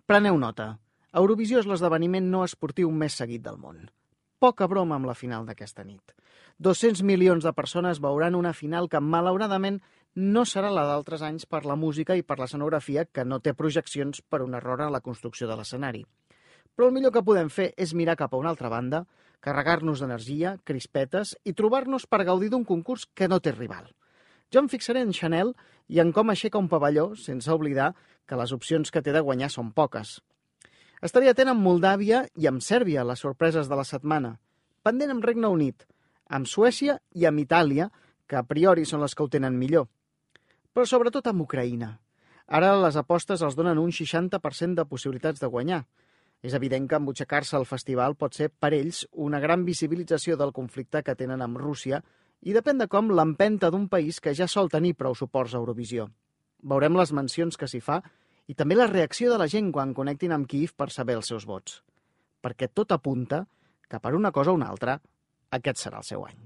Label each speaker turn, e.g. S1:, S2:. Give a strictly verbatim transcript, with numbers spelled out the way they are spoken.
S1: Preneu nota. Eurovisió és l'esdeveniment no esportiu més seguit del món. Poca broma amb la final d'aquesta nit. dos-cents milions de persones veuran una final que, malauradament, no serà la d'altres anys per la música i per l'escenografia, que no té projeccions per un error en la construcció de l'escenari. Però el millor que podem fer és mirar cap a una altra banda, carregar-nos d'energia, crispetes i trobar-nos per gaudir d'un concurs que no té rival. Jo em fixaré en Chanel i en com aixeca un pavelló, sense oblidar que les opcions que té de guanyar són poques. Estaré atent amb Moldàvia i amb Sèrbia, les sorpreses de la setmana. Pendent amb Regne Unit, amb Suècia i amb Itàlia, que a priori són les que ho tenen millor. Però sobretot amb Ucraïna. Ara les apostes els donen un seixanta per cent de possibilitats de guanyar. És evident que embutxacar-se al festival pot ser per ells una gran visibilització del conflicte que tenen amb Rússia i depèn de com l'empenta d'un país que ja sol tenir prou suports a Eurovisió. Veurem les mencions que s'hi fa i també la reacció de la gent quan connectin amb Kíiv per saber els seus vots. Perquè tot apunta que per una cosa o una altra aquest serà el seu any.